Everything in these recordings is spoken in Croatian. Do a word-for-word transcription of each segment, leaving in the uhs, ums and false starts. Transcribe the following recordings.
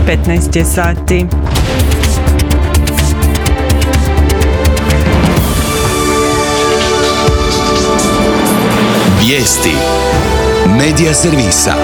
petnaest je sati. Vijesti Medija servisa.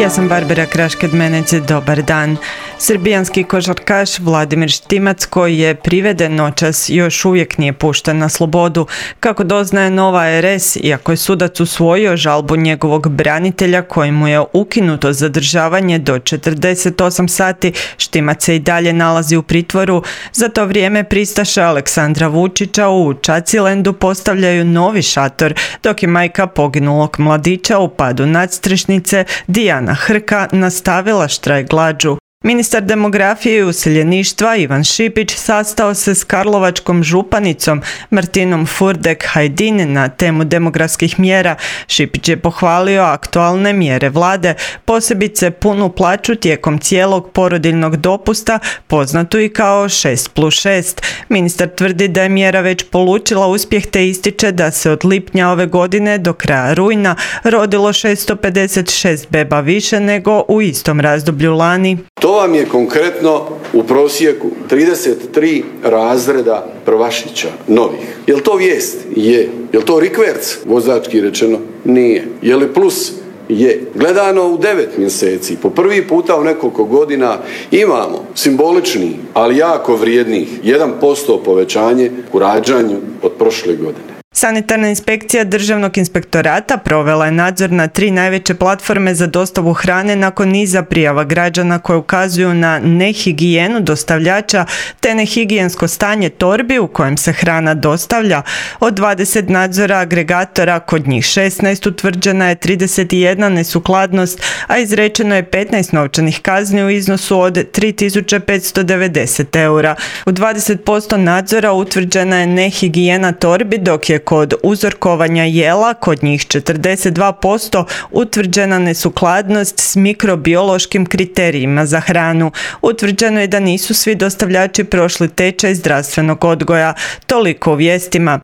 Ja sam Barbara Krašked-Menec, dobar dan. Srbijanski košarkaš Vladimir Štimac, koji je priveden noćas, još uvijek nije pušten na slobodu. Kako doznaje Nova er es, iako je sudac usvojio žalbu njegovog branitelja kojemu je ukinuto zadržavanje do četrdeset osam sati, Štimac se i dalje nalazi u pritvoru. Za to vrijeme pristaše Aleksandra Vučića u Čacilendu postavljaju novi šator, dok je majka poginulog mladića u padu nadstrešnice Dijana Hrka nastavila štrajk glađu. Ministar demografije i useljeništva Ivan Šipić sastao se s karlovačkom županicom Martinom Furdek-Hajdin na temu demografskih mjera. Šipić je pohvalio aktualne mjere vlade, posebice punu plaću tijekom cijelog porodiljnog dopusta, poznatu i kao šest plus šest. Ministar tvrdi da je mjera već polučila uspjeh te ističe da se od lipnja ove godine do kraja rujna rodilo šesto pedeset šest beba više nego u istom razdoblju lani. To vam je konkretno u prosjeku trideset tri razreda prvašića novih. Je li to vijest? Je. Je li to rikverc, vozački rečeno? Nije. Je li plus? Je. Gledano u devet mjeseci, po prvi puta u nekoliko godina imamo simbolični, ali jako vrijednih jedan posto povećanje u rađanju od prošle godine. Sanitarna inspekcija Državnog inspektorata provela je nadzor na tri najveće platforme za dostavu hrane nakon niza prijava građana koje ukazuju na nehigijenu dostavljača te nehigijensko stanje torbi u kojem se hrana dostavlja. Od dvadeset nadzora agregatora kod njih šesnaest utvrđena je trideset jedna nesukladnost, a izrečeno je petnaest novčanih kazni u iznosu od tri tisuće petsto devedeset eura. U dvadeset posto nadzora utvrđena je nehigijena torbi, dok je kod uzorkovanja jela, kod njih četrdeset dva posto, utvrđena nesukladnost s mikrobiološkim kriterijima za hranu. Utvrđeno je da nisu svi dostavljači prošli tečaj zdravstvenog odgoja. Toliko u vijestima.